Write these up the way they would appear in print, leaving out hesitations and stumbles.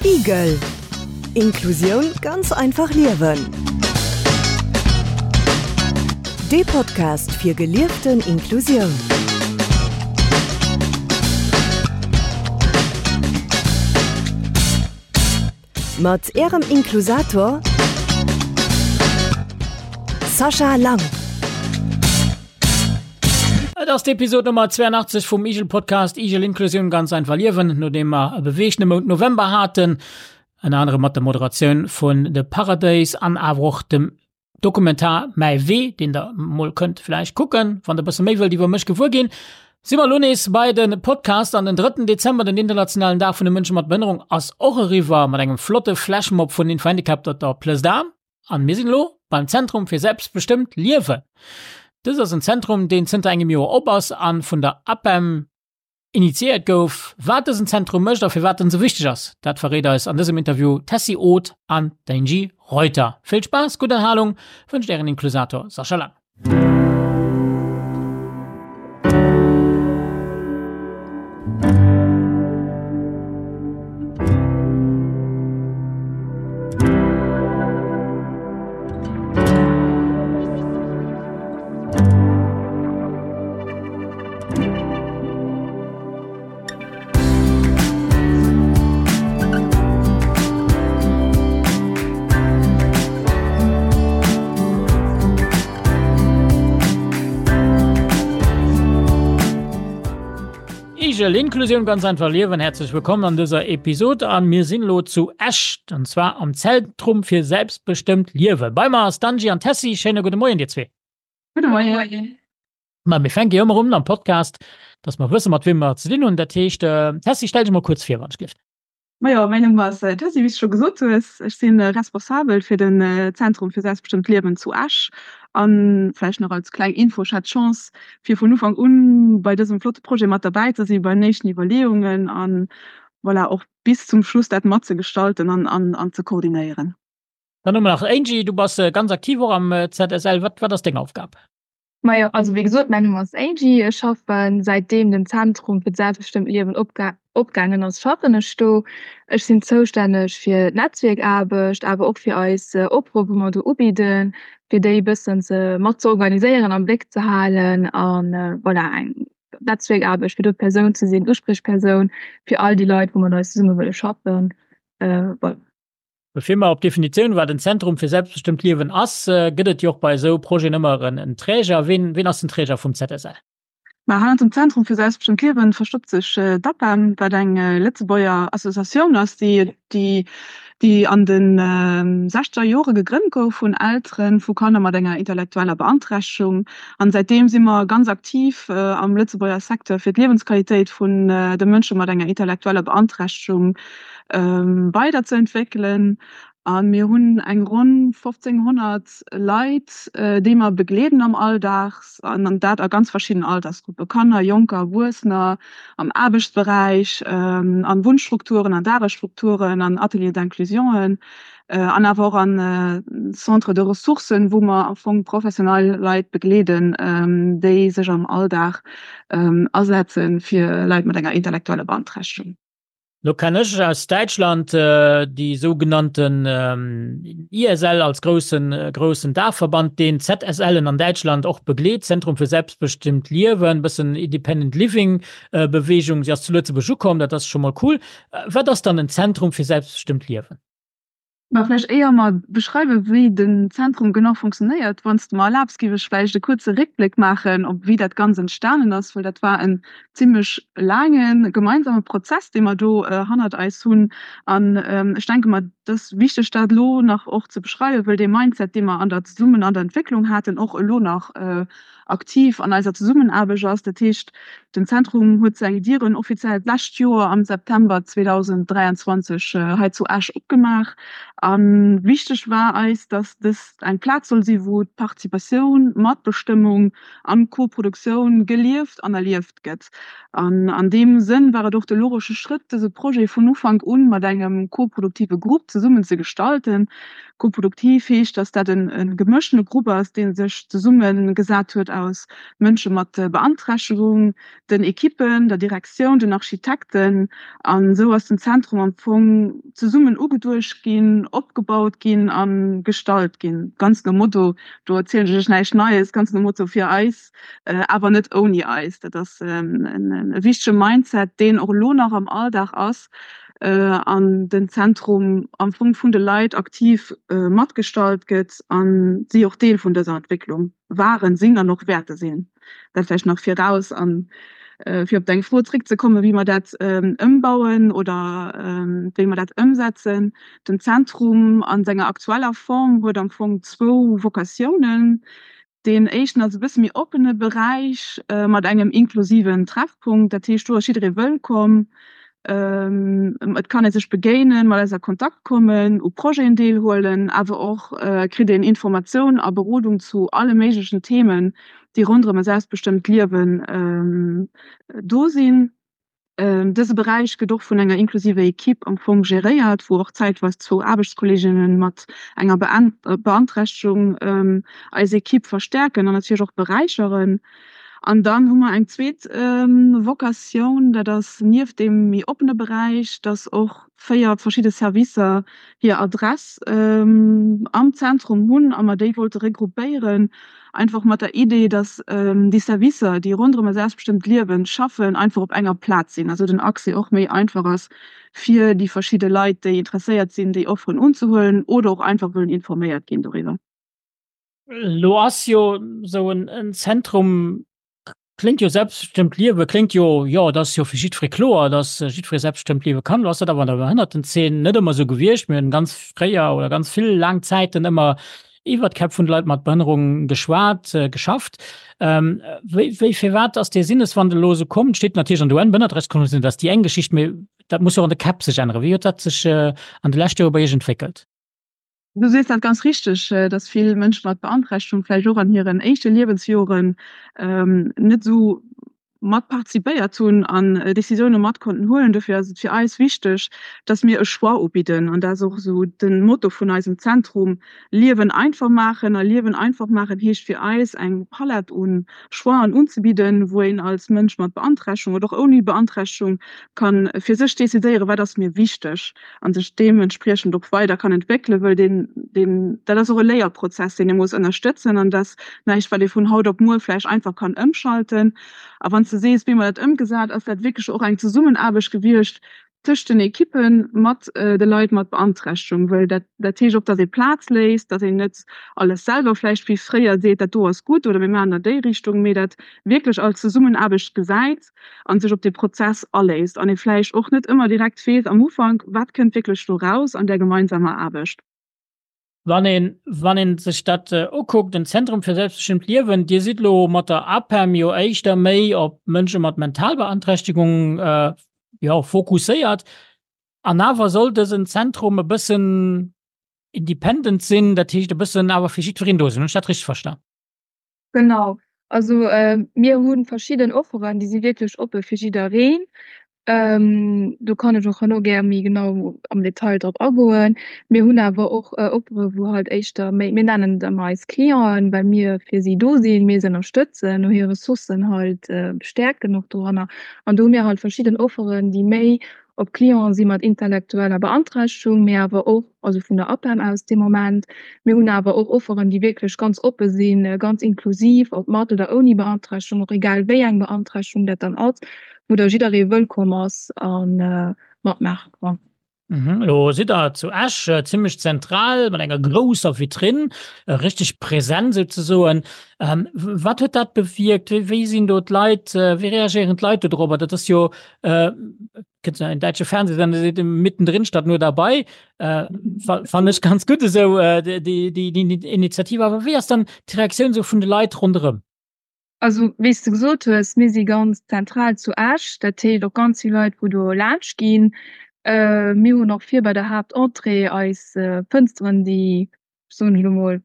Igel, Inklusioun ganz einfach liewen. Dee Podcast fir gelieften Inklusioun. Mat Ärem Inklusator Sascha Lang. Et ass d'Episod Nummer 82 vum Igel Podcast Igel Inklusioun ganz einfach liewen, nodeem mer e beweegte Mount November haten, ënner anerem mat der Moderatioun vun de Paradéis an awer och dem Dokumentar Mäi Wee, deen der mol kënnt vläicht kucken, wann der bësse méi wëllt iwwer mech gewuer ginn. Si mer elo nees bei de Podcast an den drëtten Dezember, den internationalen Dag vun de Mënsche mat Behënnerung, ass och eriwwer mat engem flotte Flashmob vun Info-Handicap op der Place d'Armes. An mir sinn elo beim Zentrum fir selbstbestëmmt Liewen. Dëst ass en Zentrum, deen zënter engem Joer op ass an vun der APEM Initiéiert gouf. Wat dësen Zentrum mécht a firwat en esou wichteg ass, dat verréit eis an dësem Interview d'Tessy Oth an d'Angie Reuter. Vill Spaass, gutt Erhalung wënscht Ären Inklusator Sascha Lang. Igel, Inklusioun ganz einfach liewen. Herzlech wëllkomm an dëser Episod an mir sinn elo zu Esch an zwar am Zentrum fir selbstbestëmmt Liewe. Bei mer ass d'Angie an d'Tessy. Schéine gudde Moien dir zwee. Gudde Moien. Ma mir fänke jo ëmmer un am Podcast, dass mer wësse mat wiem mer et ze dinn hunn. Dat heescht, Tessy, stell dech mol kuerz vir, wann ech gelift. Majo, mäin Numm ass Tessy, wéi s de scho gesot hues. Ech si responsabel fir den Zentrum fir selbstbestëmmt Liewen zu Esch. A vläicht nach als kleng Info, Ech hat d'Chance, fir vun Ufank un bei dësem flotte Projet mat derbäi ze sinn, bei den éischten Iwwerleeungen an voilà, och bis zum Schluss dat matzegestalten an ze koordinéieren. Dann hu mer nach Angie, du bass ganz aktiv och am ZSL. Wat, wat ass deng Aufgab? Majo, also wéi gesot, mäin Numm ass Angie. Ech schaffen säitdeem den Zentrum fir d'selbstbestëmmt Liewen opgaangen ass, schaffen ech do. Ech sinn zoustänneg fir d'Netzwierkaarbecht, awer och fir eis Offere wou mer do ubidden, fir déi e bëssen ze mat ze organiséieren, am Bléck ze halen an voilà eng Netzwierkaarbecht fir do d'Persoun ze sinn, d'Uspriechpersoun fir all déi Leit wou mat eis zesumme wëlle schaffen. Voilà. Bevir mer op d'Definitioun, wat en Zentrum fir selbstbestëmmt Liewen ass, gëtt et jo och bei esou Projeten ëmmer en Träger. Ween, ween ass den Träger vum ZSL? Ma hannert dem Zentrum fir selbstbestëmmt Liewen verstoppt sech d'APEM, wat eng Lëtzebuerger Associatioun ass, déi, déi, déi an de sechzeger Jore gegrënnt gouf vun Eltere vu Kanner mat enger intellektueller Beanträchtegung. An säitdeem si mer ganz aktiv am Lëtzebuerger Secteur fir d'Liewensqualitéit vun de Mënsche mat enger intellektueller Beanträchtegung weider ze entwéckelen. A mir hunn eng ronn 1.500 Leit, déi mer begleeden am Alldag, an dat a ganz verschiddenen Altersgruppen, Kanner, Jonker, Erwuessener, am Aarbechtsberäich, an Wunnstrukturen, an Dagesstrukturen, an Ateliers d'inclusionen an awer och an Centres de ressourcen, wou mer am Fong professionell Leit begleeden, déi sech am Alldag asetze fir Leit mat enger intellektueller Beanträchtegung. Lo kenn ech aus Däitschland déi sougenannten ISL als groussen groussen Daachverband, deen ZSLen an Däitschland och begleet, Zentrum für selbstbestimmt Liewen, bëssen Independent Living Bewegung. Si ass zu Lëtzebuerg ukomm, dat ass scho mol cool. Wat ass dann en Zentrum fir selbstbestëmmt Liewen? Mä vläicht éier mer beschreiwen, wéi den Zentrum genau funktionéiert, wann s de mer erlaabs, géif ech vläicht e kuerze Réckbléck maachen, op wéi dat Ganzt entstanen ass, well dat war en zimlech laange gemeinsame Prozess, dee mer do hannert eis hunn. An ech denke mer, et ass wichteg, dat elo nach och ze beschreiwen, well dee Mindset, dee mer an der zesummen an der Entwécklung haten, och elo nach aktiv an eiser Zesummenaarbecht ass. Dat heescht, den Zentrum huet seng Dieren offiziell d'lescht Joer am September 2023 hei zu Esch opgemaach. A wichteg war eis, dass dëst eng Plaz soll si wou d'Participatioun, Matbestëmmung an d'Koproduktioun gelieft an erlieft gëtt. An an deem Sënn war et och de logesche Schrëtt, dëse Projet vun Ufank un mat engem koproduktive Grupp zesummen ze gestalten. Koproduktiv heescht, dass dat e gemëschtene Grupp ass, dee sech zesummegesat huet. aus Mënsche mat Beanträchtegung, den Ekippen, der Direktioun, den Architekten. An esou ass den Zentrum am Fong zesummen ugeduecht ginn, opgebaut ginn a gestalt ginn. Ganz nom Motto, do erzielen ech iech näischt Neies, ganz nom Motto fir eis, awer net ouni eis. Dat ass e wichtege Mindset, deen och elo nach am Alldag ass an den Zentrum am Fong vun de Leit aktiv matgestalt gëtt a si och Deel vun dëser Entwécklung waren, sinn an och wäerte sinn. Dat vläicht nach viraus. A fir op deng Fro zréckzekommen, wéi mer dat ëmbauen oder wéi mer dat ëmsetzen, Den Zentrum a senger aktueller Form huet am Fong zwou Vokatiounen. Deen éischten ass e bësse méi oppene Beräich mat engem inklusiven Treffpunkt. Dat heescht, do ass jidderee wëllkomm. Et kann ee sech begéinen, mat eis a Kontakt kommen, u Projeten deelhuelen, awer och kritt een Informatioun a Berodung zu alle méiglechen Themen, déi ronderëm e selbstbestëmmt Liewen do sinn. Dëse Beräich gëtt och vun enger inklusiver Equipe am Fong geréiert, wou och zäitweis zwou Aarbechtskolleeginnen mat enger Beanträchtegung eis Equipe verstäerken an natierlech och beräicheren. An dann hu mer eng zweet Vocatioun, dat ass nieft deem méi oppene Beräich, dass och 4 verschidde Servicer hir Adress am Zentrum hunn a mer déi wollte regroupéieren, einfach mat der Idee, dass déi Servicer, déi ronderëm e selbstbestëmmt Liewen schaffen, einfach op enger Plaz sinn, also den Accès och méi einfach ass fir déi verschidde Leit, déi interesséiert sinn, déi Offeren unzehuelen oder och einfach wëllen informéiert ginn doriwwer. Elo ass jo esou en Zentrum Kléngt jo selbstbestëmmt liewe kléngt jo, jo dat ass jo fir jiddweree kloer, datt jiddweree selbstbestëmmt liewe kann. Lo ass dat awer an der Behënnertenzeen net ëmmer esou gewiescht. Mir hunn ganz fréier oder ganz vill laang Zäiten ëmmer iwwer d'Käpp vun de Leit mat Behënnerung geschwat, geschafft. Wéi, wéi, firwat ass dee Sinneswandel elo esou komm? Steet natierlech an der UN-Behënnerterechtskonventioun, dat ass déi eng Geschicht, mee dat muss jo och an de Käpp sech änneren. Wéi huet dat sech an de leschte Jore bei Iech entwéckelt? Du sees dat ganz richteg, dass vill Mënsche mat Beanträchtegung vläicht och an hiren éischte Liewensjoren net esou mat participéiert hunn an Décisioune mat konnten huelen. Dofir ass et fir eis wichteg, dass mir e Choix ubidden. An dat ass och esou de Motto vun eisem Zentrum, Liewen einfach maachen. A Liewen einfach maachen heescht fir eis, eng Palett u Choixen unzebidden, wou een als Mënsch mat Beanträchtegung oder och ouni Beanträchtegung ka fir sech decidéieren, wat ass mir wichteg. an sech deementspriechend och weider kann entwéckelen, wëll deen, deen, dat ass och e Léierprozess, deen ee muss ënnerstëtzen an dat ass näischt, wat ee vun haut op muer vläicht einfach kann ëmschalten. A wann s de sees, wéi mer dat ëmgesat, ass dat wierklech och eng Zesummenaarbecht gewiescht tëscht den Ekippe mat de Leit mat Beanträchtegung, wëll dat, dat heescht och, datt ee Plaz léisst, datt een net alles selwer vläicht wéi fréier seet, dat do ass gutt oder mir maachen an déi Richtung, mee dat wierklech als Zesummenaarbecht gesäit. an sech op dee Prozess aléisst an ee vläicht och net ëmmer direkt weess am Ufank, wat kënnt wierklech do raus an där gemeinsamer Aarbecht. Wann een, wann een sech dat ukuckt, den Zentrum für selbstbestimmt Liewen, Dir sidd elo mat der APEM jo éischter méi op Mënsche mat Mentalbeanträchtegung, jo, fokusséiert. An awer soll dësen Zentrum e bëssen independent sinn, dat heescht e bëssen awer fir jiddwereen do sinn. Hunn ech dat richteg verstan? Genau, also mir hu verschidden Offeren, déi si wierklech oppe fir jiddereen. Do kann ech och herno gär méi genau am Detail drop agoen. Mir hunn awer och Offere wou halt éischter méi, mir nennen et ëmmer eis Clienten, well mir fir si do sinn, mir se ënnerstëtzen, no hir Ressourcen halt stäerken och doranner. An do hu mir halt verschidden Offeren, déi méi op Clienten si mat intellektueller Beanträchtegung, mee awer och, also vun der APEM aus dee Moment. Mir hunn awer och Offeren, déi wierklech ganz oppe sinn, ganz inklusiv, ob mat oder ouni Beanträchtegung, och egal wéi eng Beanträchtegung dat dann ass, wou da jidderee wëllkomm ass a matmaache kann. Elo sidd Der zu Esch, zimmlech zentral, mat enger grousser Vitrinn, richteg präsent souzesoen. Wat huet dat bewierkt? Wéi sinn do d'Leit, wéi reagéieren d'Leit do dorobber? Dat ass jo Kënnt en däitsche Fernsehsender seet mittendrin statt nur dabei. Äh, fand ech ganz gutt esou äh, déi, déi, déi Initiative. Awer wéi ass dann d'Reaktioun sou vun de Leit ronderëm? Also wéi s de gesot hues, mir si ganz zentral zu Esch, dat heescht och ganz vill Leit wou do laanscht ginn. Äh, mir hunn och vir bei der Haaptentrée eis Fënsteren, déi, soen ech elo mol,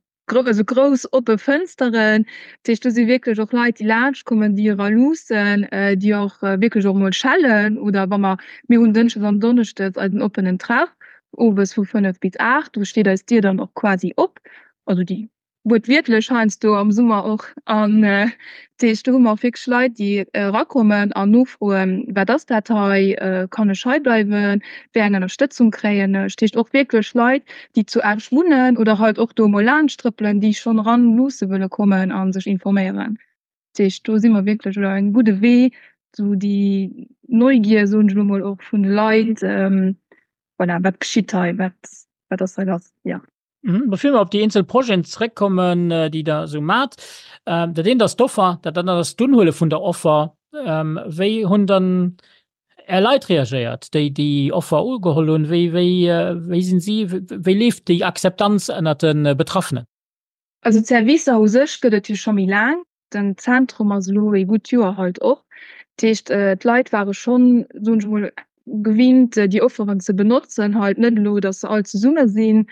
esou grouss oppe Fënsteren. Dat heescht, do si wierklech och Leit, déi laanscht kommen, déi era luussen, déi och wierklech och emol schellen. Oder wa mer, mir hunn dënschdes an donneschdes eisen oppenen Treff, owes vu 5 bis 8, do steet eis Dier dann och quasi op, also déi. Wuertwiertlech heiansdo am Summer och. An dat heescht, do hu mer och wierklech Leit, déi erakommen an nofroen, Wat ass dat hei? Kann ech hei bleiwen? Wéi eng Ënnerstëtzung kréien ech? Dat heescht och wierklech Leit, déi zu Esch wunnen oder halt och do emol laanscht trëppelen, déi schonn eran luusse wëlle kommen a sech informéieren. Dat heescht, do si mer wierklech elo engem gudde Wee, esou déi Neugier, soen ech elo mol, och vun de Leit, voilà, wat geschitt hei, wat, wat ass hei lass, jo. Mhm. Bevir mer op déi eenzel Projeten zeréckkommen, äh, déi der esou mat, äh, dat eent ass d'Offer, dat anert ass d'Unhuele vun der Offer. Ähm, wéi hunn dann Är Leit reagéiert, déi déi Offer ugeholl hunn? Wéi, wéi, äh, wéi sinn si, wéi leeft déi Akzeptanz ënnert de Betraffenen? Also d'Servicer u sech gëtt et jo scho méi laang. Den Zentrum ass elo ee gutt Joer halt och. Dat heescht, d'Leit ware schonn, soen ech emol, gewinnt, déi Offeren ze benotzen, halt net elo, datt se all zesumme sinn.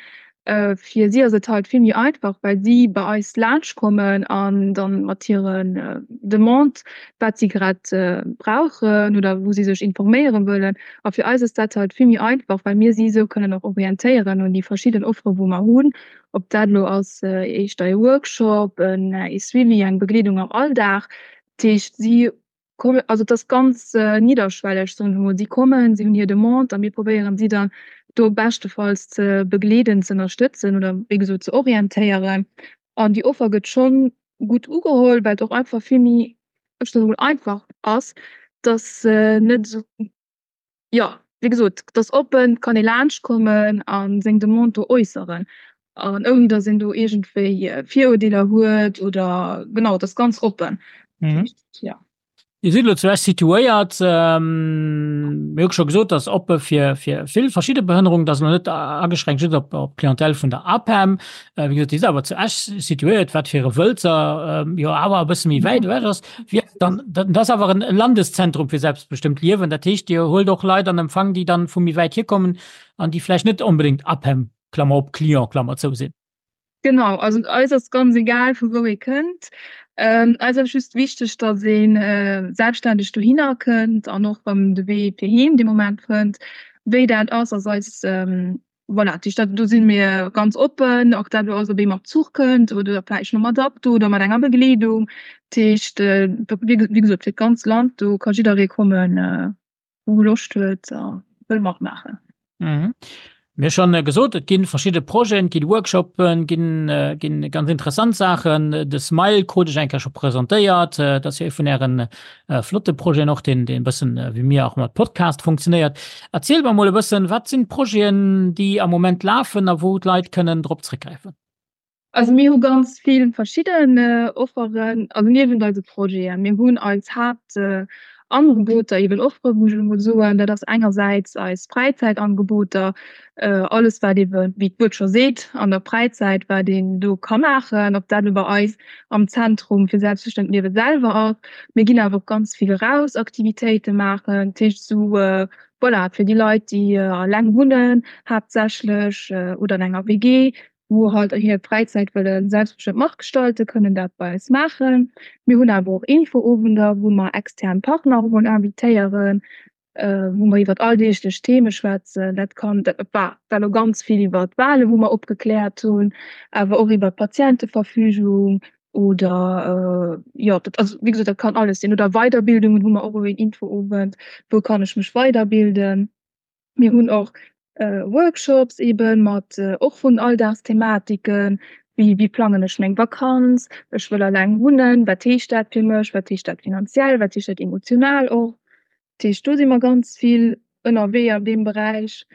Fir si ass et halt vill méi einfach, well si bei eis laanschtkommen an dann mat hiren Demandë wat si grad brauchen oder wou si sech informéiere wëllen. A fir eis ass dat halt vill méi einfach, well mir si esou kënnen och orientéieren un déi verschidden Offere wou mer hunn. Ob dat elo ass éischter e Workshop, e Suivi, eng Begleedung am Alldag. Dat heescht, si kommen, also et ass ganz nidderschwelleg, soen ech emol. Si kommen, si hunn hir Demande a mir probéieren si dann do beschtefalls ze begleeden, ze ënnerstëtzen oder wéi gesot ze orientéieren. An déi Offer gëtt schonn gutt ugeholl, well et och einfach vill méi, ech soen emol, einfach ass, dass net esou Jo, wéi gesot, et ass oppen, et kann ee laanscht kommen a seng Demande do äusseren. An ouni datt een do iergendwéi Virurdeeler huet oder, genau, et ass ganz oppen. Jo. Dir sidd elo zu Esch situéiert. Mir hu scho gesot, et ass oppe fir vill verschidde Behënnerungen. Et ass elo net ageschränkt just op d'Clientèle vun der APEM. Wéi gesot, Dir sidd awer zu Esch situéiert, wat fir e Wëlzer jo awer e bësse méi wäit ewech ass. Wie dann, dat ass awer en Landeszentrum fir selbstbestëmmt Liewen. Dat heescht, Dir huelt och Leit an Empfang, déi dann vu méi wäit hierkommen an déi vläicht net onbedéngt APEM, Klammer op, Client, Klammer zou sinn. Genau, also eis ass ganz egal vu wou ee kënnt. Eis ass just wichteg, datt ee selbstständeg dohinner kënnt an och erëm de Wee fir heem dee Moment fënnt. Wéi dat ass, ass eis Voilà, dat heescht, do si mir ganz oppen, och dat elo ass, ob ee mat Zuch kënnt oder vläicht no mat Auto oder mat enger Begleedung. Dat heescht, wéi gesot, fir d'ganz Land, do ka jidderee kommen, wou Loscht huet a wëll matmaachen. Mir hu schonn gesot, et gi verschidde Projeten, et gi Workshoppen, et ginn ganz interessant Saachen. De Smile krut ech eng Kéier scho presentéiert, dat ass jo ee vun Ären flotte Projeten och, deen deen e bëssen wéi mir och mat Podcast funktionéiert. Erzielt mer mol e bëssen, wat sinn d'Projeten, déi am Moment lafen a wou d'Leit kënnen drop zréckgräifen? Also mir hu ganz vill verschidden Offeren, also niewent eise Projeten. Mir hunn eis Haaptangeboter, eben Offere muss ech elo mol soen, dat ass engersäits eis Fräizäitangeboter, alles wat eeben, wéi d'Wuert scho seet, an der Fräizäit wat een do ka maachen, ob dat elo bei eis am Zentrum fir selbstbestëmmt Liewe selwer ass. Mir ginn awer och ganz vill eraus Aktivitéite maachen, dat heescht esou, voilà, fir déi Leit, déi eleng wunnen haaptsächlech oder an enger WG, wou halt hir Fräizäit wëlle selbstbestëmmt matgestalten, kënnen dat bei eis maachen. Mir hunn awer och Infoowender, wou mer extern Partner och emol invitéieren, wou mer iwwert alldeeglech Theme schwätzen. Dat kann, dat war war elo ganz vill iwwert d'Wahlen, wou mer opgekläert hunn, awer och iwwert d'Patienteverfügung oder jo, dat also wéi gesot, dat kann alles sinn. Oder Weiderbildungen hu mer och elo een Infoowend, wou kann ech mech weiderbilden. Mir hunn och Workshops eben mat och vun Alldagsthematiken, wéi wéi plangen ech meng Vakanz, ech wëll alleng wunnen, wat heescht dat fir mech, wat heescht dat finanziell, wat heescht dat emotional och. Dat heescht do si mer ganz vill ënnerwee an deem Beräich.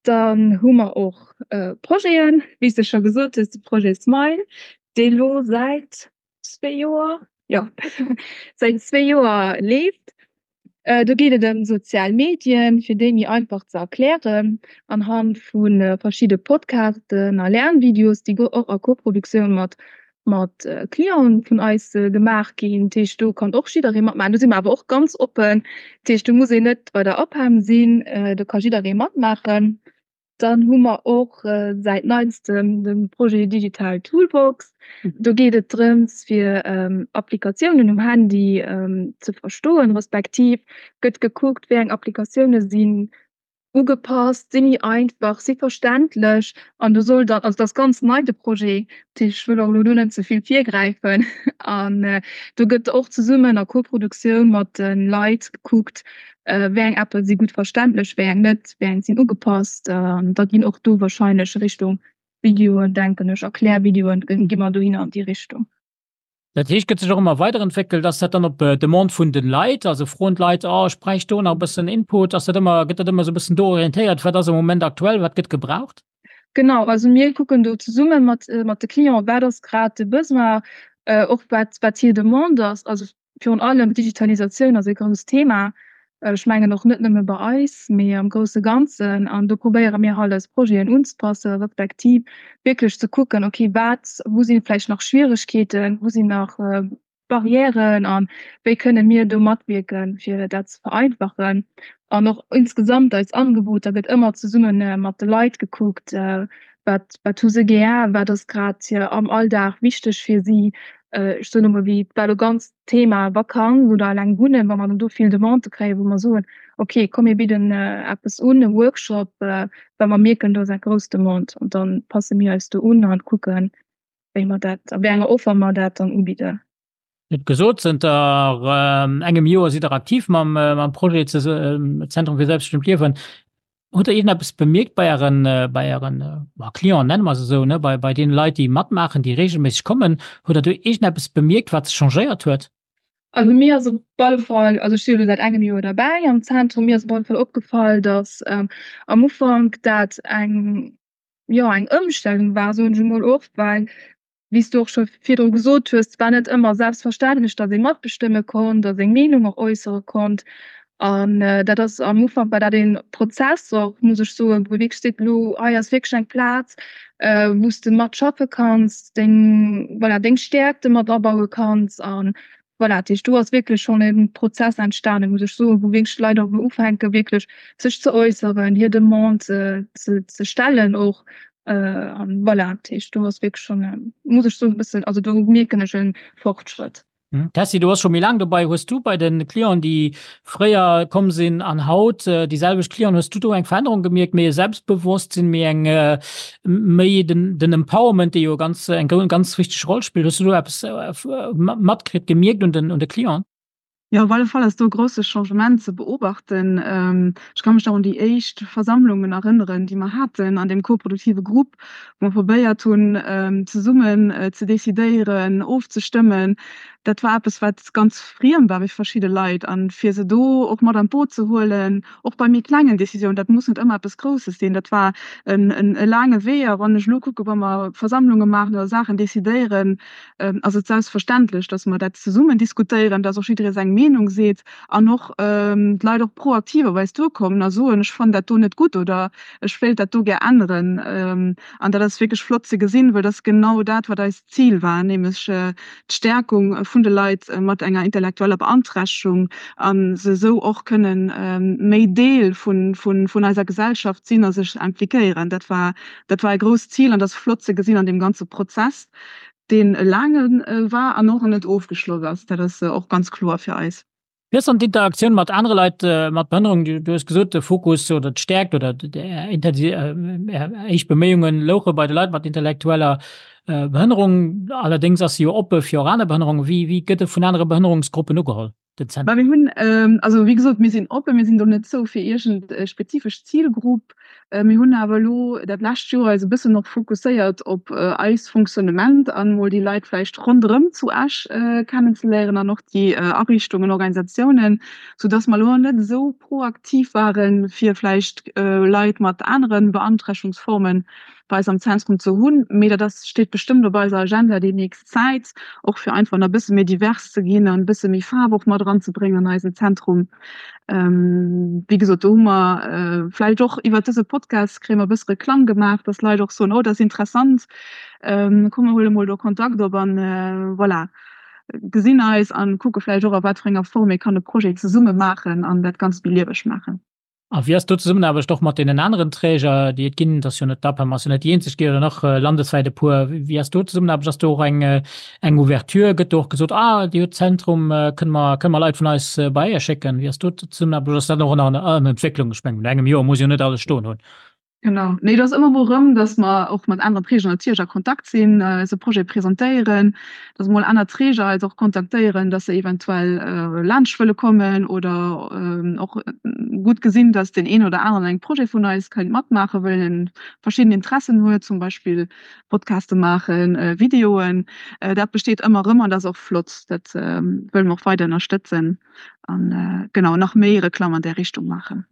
Dann hu mer och Projeten, wéi s de scho gesot hues, de Projet Smile, dee lo säit zwee Joer, jo, säit zwee Joer leeft. Do geet et ëm sozial Medien, fir déi méi einfach ze erklären anhand vu verschidde Podcasten a Lernvideos, déi och a Koproduktioun mat mat Clienten vun eis gemaach ginn. Dat heescht, do kann och jidderee matmaachen. Do si mer awer och ganz oppen. Dat heescht, do muss een net bei der APEM sinn, do ka jidderee matmaachen. Dann hu mer och säit neistem de Projet Digital Toolbox. Do geet et drëms, fir Applikatiounen um Handy ze verstoen, respektiv gëtt gekuckt, wéi eng Applikatioune sinn. Ugepasst, si méi einfach, si verständlech an do soll dann, also dat ass ganz nei de Projet, dat heescht ech wëll och elo do net ze vill virgräifen an do gëtt och zesummen a Koproduktioun mat de Leit gekuckt, wéi eng Appe si gutt verständlech, wéi eng net, wéi eng sinn ugepasst an da ginn och do wahrscheinlech Richtung Videoen, denken ech, Erklärvideoen gi mer dohinner an déi Richtung. Dat heescht, gëtt sech och ëmmer weiderentwéckelt? Ass dat dann op Demande vun de Leit? Also froen d'Leit, oh ech bräicht do nach e bëssen Input? Ass dat ëmmer, gëtt dat ëmmer esou e bëssen do orientéiert, wat ass am Moment aktuell, wat gëtt gebraucht? Genau, also mir kucken do zesumme mat mat de Clienten, wat ass grad de Besoin, och wat wat hir Demande ass. Also Virun allem d'Digitalisatioun ass e grousst Thema. Ech mengen och net nëmme bei eis, mee am grousse Ganzen. An do probéiere mir halt eis Projeten unzepassen, respektiv wierklech ze kucken, okay, wat, wou si vläicht nach Schwieregkeeten, wou sinn nach Barrièren a wéi kënne mir do matwierken, fir dat ze vereinfachen. An och insgesamt eis Angeboter gëtt ëmmer zesumme mat de Leit gekuckt, wat, wat hu se gär, wat ass grad am Alldag wichteg fir si. Ech soen emol, wéi war elo ganz d'Thema Vakanz oder eleng wunnen, wa mer dann do vill Demandë kréien, wou mer soen, okay, komm mir bidden eppes un, e Workshop, well mer mierken, do ass eng grouss Demande. An da passe mir eis do un an kucken, wéi mer dat, a wéi enger Offer mer dat dann ubidden. Hutt gesot, zënter engem Joer sidd Der aktiv mam Projet Zentrum fir selbstbestimmt Liewen. Hutt Der iergendeppes bemierkt bei Ären, bei Ären Clienten, nenne mer se esou, ne, bei, bei deene Leit, déi matmaachen, déi reegelméisseg kommen? Hutt Der do iergendeppes bemierkt, wat sech changéiert huet? Also mir ass op alle Fall, also ech si jo elo säit engem Joer derbäi am Zentrum, mir ass op alle Fall opgefall, datt am Ufank dat eng, jo, eng Ëmstellung war, soen ech emol och, well wéi s du och scho virdru gesot hues, et war net ëmmer selbstverständlech, datt ee matbestëmme konnt a seng Meenung och äussere konnt. An dat ass am Ufank war dat ee Prozess och, muss ech soen, wou ee wierklech seet, elo hei ass wierklech eng Plaz, wou s de matschaffe kanns, deng, voilà, deng Stäerkte mat abaue kanns. A voilà, dat heescht, do ass wierklech schonn e Prozess entstanen, muss ech soen, wou wierklech d'Leit och elo ufänken, wierklech sech ze äusseren, hir Demande ze ze stellen och. An voilà, dat heescht, do ass wierklech schonn, muss ech soen, e bëssen, also do mierken ech e Fortschrëtt. Tessy, du bass scho méi laang dobei. Hues du bei de Clienten, déi fréier komm sinn an haut déi selwecht Clienten, hues du do eng Verännerung gemierkt, méi e Selbstbewosstsinn, méi eng, méi den, den Empowerment, dee jo ganz, eng ganz wichteg Roll spillt? Hues du do eppes matkritt, gemierkt un den, un de Clienten? Jo, op alle Fall ass do e grousse Changement ze beobachten. Ech ka mech nach un déi éischt Versammlungen erënneren, déi mer haten an deem koproduktive Grupp, wou mer probéiert hunn, zesummen ze decidéieren, ofzestëmmen. Dat war eppes, wat ganz friem war fir verschidde Leit. A fir se do och mat an d'Boot ze huelen, och bei méi klengen Décisiounen, dat muss net ëmmer eppes Grousses sinn, dat war e laange Wee. A wann ech elo kucken, wa mer Versammlunge maachen oder Saachen decidéieren, ass et selbstverständlech, dass mer dat zesummen diskutéieren, dass och jidderee seng Meenung seet an och d'Leit och proaktiv op eis duerkommen a soen, ech fannen dat do net gutt oder ech wéilt dat do gär änneren. An dat ass wierklech flott ze gesinn, well dat ass genau dat, wat eist Zil war, nämlech d'Stärkung vun de Leit mat enger intellektueller Beanträchtegung a se esou och kënnen méi Deel vun eiser Gesellschaft sinn a sech impliquéieren. Dat war dat war e grousst Zil an dat ass flott ze gesinn an deem ganze Prozess, deen e laange war an och net ofgeschloss ass. Dat ass och ganz kloer fir eis. Wéi ass dann d'Interaktioun mat anere Leit mat Behënnerung? Du hues gesot, de Fokus oder d'Stäerkt oder Är éischt Beméiunge louche bei de Leit mat intellektueller Behënnerung. Allerdéngs ass se jo oppe fir och aner Behënnerungen. Wéi gëtt e vun anere Behënnerungsgruppen ugeholl, den Zentrum? Mir hunn, also wéi gesot, mir sinn oppen, mir sinn do net zou fir iergend e spezifesch Zilgrupp. Mir hunn awer elo dat lescht Joer eis e bëssen och fokusséiert op eist Fonctionnement an emol déi Leit vläicht ronderëm zu Esch kennenzeléieren an och déi Ariichtungen, Organisatiounen, soudass mer elo net esou proaktiv waren, fir vläicht Leit mat anere Beanträchtungsformen bei eis am Zentrum ze hunn. Mee dat ass, steet bestëmmt op eiser Agenda déi nächst Zäit, och fir einfach nach e bësse méi divers ze ginn an e bësse méi Faarf och mat eranzebréngen an eisen Zentrum. Wéi gesot, do hu mer vläicht och iwwert dëse Podcast kréie mer e bësse Reklamm gemaach, dass Leit och soen, oh dat ass interessant, komm mer huele mol do Kontakt op an voilà, gesinn eis an kucke vläicht och a wat fir enger Form ee kann e Projet zesumme maachen an dat Ganzt méi lieweg maachen. A wéi ass do d'Zesummenaarbecht och mat deenen aneren Träger, déi et ginn? Et ass jo net, d'APEM ass jo net déi eenzeg, gi jo nach landeswäit e puer. Wéi ass do d'Zesummenaarbecht? Ass do och eng, eng Ouverture? Gëtt do och gesot, ah, Dir hutt Zentrum, kënne mer, kënne mer Leit vun eis bei Iech schécken? Wéi ass do d'Zesummenaarbecht? Oder ass dat och nach an Entwécklung? Ech mengen, no engem Joer muss jo net alles stoen hunn. Genau. Nee, et ass ëmmer mol erëm, datt mer och mat aneren Träger natierlech a Kontakt sinn, eise Projet presentéieren, datt mol aner Träger eis och kontaktéieren, datt se eventuell laanscht wëlle kommen oder och gutt gesinn, datt deen een oder aneren an engem Projet vun eis kéint matmaachen, well en verschidden Interessen huet, zum Beispill Podcaste maachen, Videoen. Dat besteet ëmmer erëm an dat ass och flott. Dat wëlle mer och weider ënnerstëtzen an genau nach méi Reklamm an där Richtung maachen.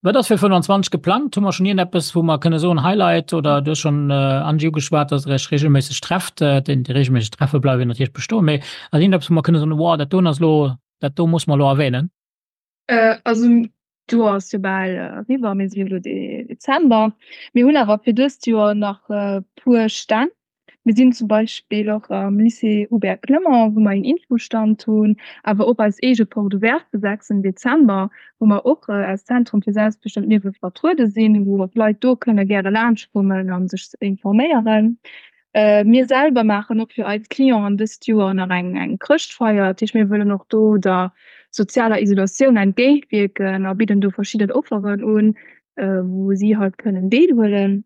Wat ass fir 25 geplangt? Hu mer schonn iergendeppes, wou mer kënne soen, Highlight? Oder du hues schonn, Angie, ugeschwat, datt Der Iech reegelméisseg trefft. Déi reegelméisseg Treffe bleiwen natierlech bestoen. Mee ass iergendeppes, wou mer kënne soen, Wow, dat doen ass elo, dat do musse mer elo erwänen? Also d'Joer ass jo bal eriwwer, mir si jo elo Dezember. Mir hunn awer fir dëst Joer nach e puer Stänn. Mir sinn zum Beispill och am Lycée Hubert Clement, wou mer een Infostand hunn, awer och eis eege Porte ouverte de 6 Dezember, wou mer och als Zentrum fir selbstbestëmmt Liewe vertruede sinn, wou och Leit do kënne gäre laanschtkommen a sech informéieren. Mir selwer maachen och fir eis Clienten dëst Joer nach eng eng Chrëschtfeier. Dat heescht, mir wëllen och do der sozialer Isolatioun entgéintwierken a bidden do verschidden Offeren un, wou si halt kënnen deelhuelen.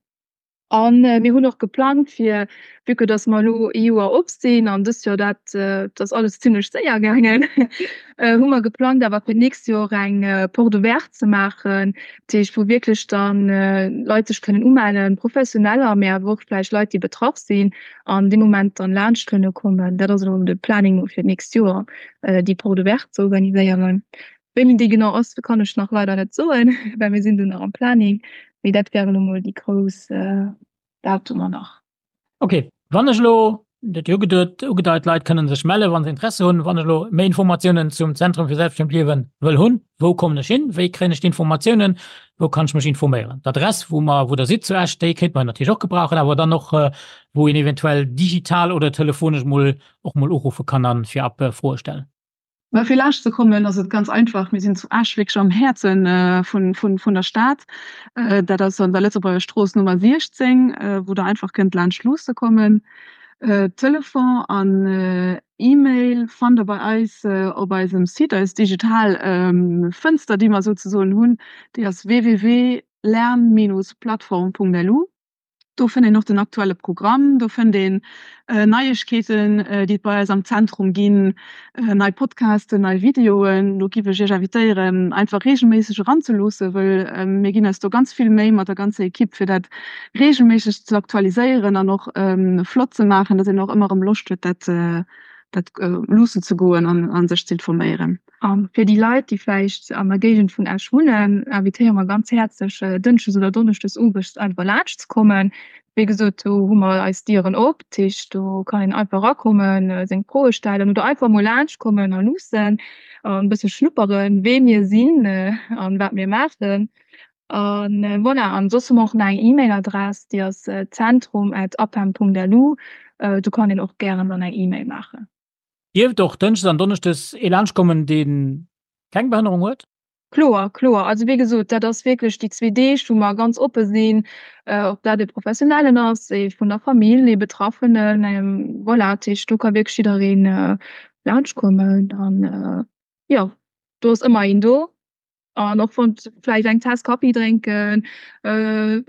A mir hunn och geplangt fir, vue que dass mer elo ee Joer op sinn an dëst Joer dat, dat ass alles zimlech séier gaangen, hu mer geplangt awer fir d'nächst Joer eng Porte ouverte ze maachen, dat heescht wou wierklech dann Leit sech kënnen umellen, Professioneller, mee awer och vläicht Leit déi betraff sinn an dee Moment dann laanscht kënne kommen. Dat ass elo de Planning fir d'nächst Joer, déi Porte ouverte ze organiséieren. Wéini déi genau ass, kann ech nach leider net soen, well mir sinn do nach am Planning. Mee dat wären elo mol déi grouss Datumer nach. Ok, wann ech elo, dat jo ugedeit, ugedeit, Leit kënnen sech mellen, wa se Interesse hunn. Wann ech elo méi Informatiounen zum Zentrum fir selbstbestëmmt Liewen wëll hunn, wou kommen ech hin? Wéi kréien ech d'Informatiounen? Wou kann ech mech informéieren? D'Adress, wou mer, wou Der sidd zu Esch, déi kéinte mer natierlech och gebrauchen, awer dann och, wou een eventuell digital oder telefonesch mol och mol uruffe kann a virab Froe stellen. Mä fir laanscht ze kommen ass et ganz einfach, mir sinn zu Esch wierklech am Häerze vun der Stad. Dat ass an der Lëtzebuerger Strooss Nummer 16, wou der einfach kënnt laanscht luusse kommen. Telefon an E-Mail fannt der bei eis op eisem Site, eis digital Fënster déi mer souzesoen hunn, déi ass www.lern-plattform.lu. Do fënnt een och den aktuelle Programm, do fënnt een Neiegkeeten, déi et bei eis am Zentrum ginn, nei Podcasten, nei Videoen. Do giff ech Iech invitéieren, einfach reegelméisseg eranzeloossen, wëll mir ginn eis do ganz vill Méi mat der ganzer Equipe, fir dat reegelméisseg ze aktualiséieren an och flott ze maachen, dass een och ëmmer erëm Loscht huet, dat dat luussen ze goen an sech ze informéieren. A fir déi Leit, déi vläicht an der Géigend vun Esch wunnen, invitéiere mer ganz häerzlech, dënschdes oder donneschdes owes einfach laanscht ze kommen. Wéi gesot, do hu mer eis Dieren op, dat heescht, do kann een einfach erakommen, seng Froe stellen oder einfach mol laanscht kommen a luussen an e bësse schnupperen, wee mir sinn an wat mir maachen. A voilà, an soss hu mer och nach eng E-Mail-Adress, déi ass zentrum at apem.lu. Do kann een och gären dann eng E-Mail maachen. Dierft och Dënschdes an Donneschdes ee laanscht kommen, dee keng Behënnerung huet? Kloer, kloer. Also wéi gesot, dat ass wierklech déi zwee Deeg, wou mer ganz oppe sinn, ob dat e Professionellen ass, ee vun der Famill, ee Betraffenen, voilà. Dat heescht, do ka wierklech jidderee laanscht kommen an jo, do ass ëmmer een do. An och wann vläicht eng Taass Kaffi drénken,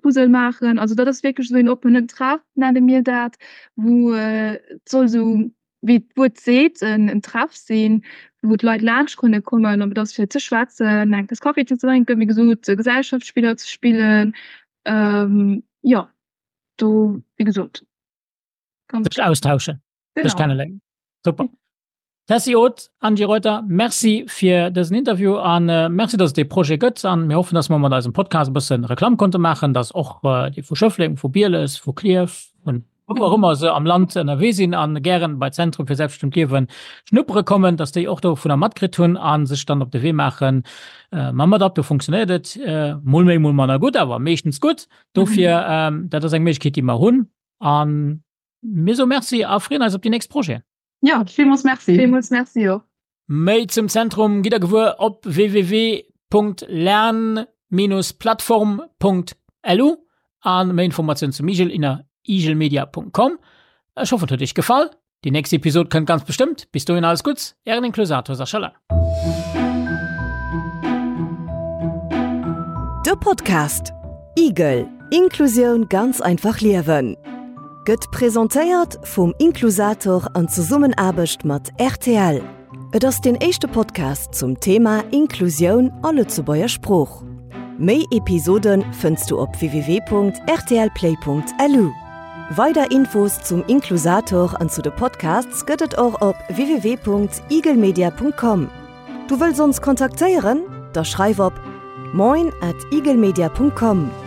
Puzzle maachen. Also dat ass wierklech esou een oppenen Treff, nenne mir dat, wou et soll esou, wéi d'Wuert seet, en Treff sinn, wou d'Leit laanscht kënne kommen, ob et ass fir ze schwätzen, eng Taass Kaffi ze drénken, wéi gesot Gesellschaftsspiller ze spillen. Jo, do wéi gesot. Sech austauschen, sech kenneléieren. Super. Tessy Oth, Angie Reuter, Merci fir dësen Interview an Merci, dass et dee Projet gëtt. An mir hoffen, dass mer mat eisem Podcast e bësse Reklamm konnte maachen, dass och déi vu Schëffleng, vu Bieles, vu Klierf, vun wou och ëmmer se am Land ënnerwee sinn a gären bei Zentrum fir selbstbestëmmt Liewen schnuppere kommen, dass déi och dovunner matkritt hunn a sech dann op de Wee maachen. Mam Adapto funktionéiert et mol méi, mol manner gutt, awer meeschtens gutt. Dofir, dat ass eng Méiglechkeet, déi mer hunn. A mir soe Merci a freeën eis op déi nächst Projeten. Ja, villmools Merci. Villmools Merci och. Méi zum Zentrum gitt der gewuer op www.apem.lu. www.lern-plattform.lu a méi Informatiounen zum Igel inner igelmedia.com. Ech hoffen et huet iech gefall. Déi nächst Episod kënnt ganz bestëmmt. Bis dohin alles Gutts, ären Inklusator Sascha Lang. De Podcast Igel, Inklusioun ganz einfach liewen gëtt presentéiert vum Inklusator an Zesummenaarbecht mat rtl. Et ass deen éischte Podcast zum Thema Inklusioun a Lëtzebuerger Sprooch. Méi Episode fënns du op www.rtlplay.lu. Weider Infos zum Inklusator an zu de Podcasts gëtt et och op www.igelmedia.com. Du wëlls ons kontaktéieren? Da schreif op moin at igelmedia.com.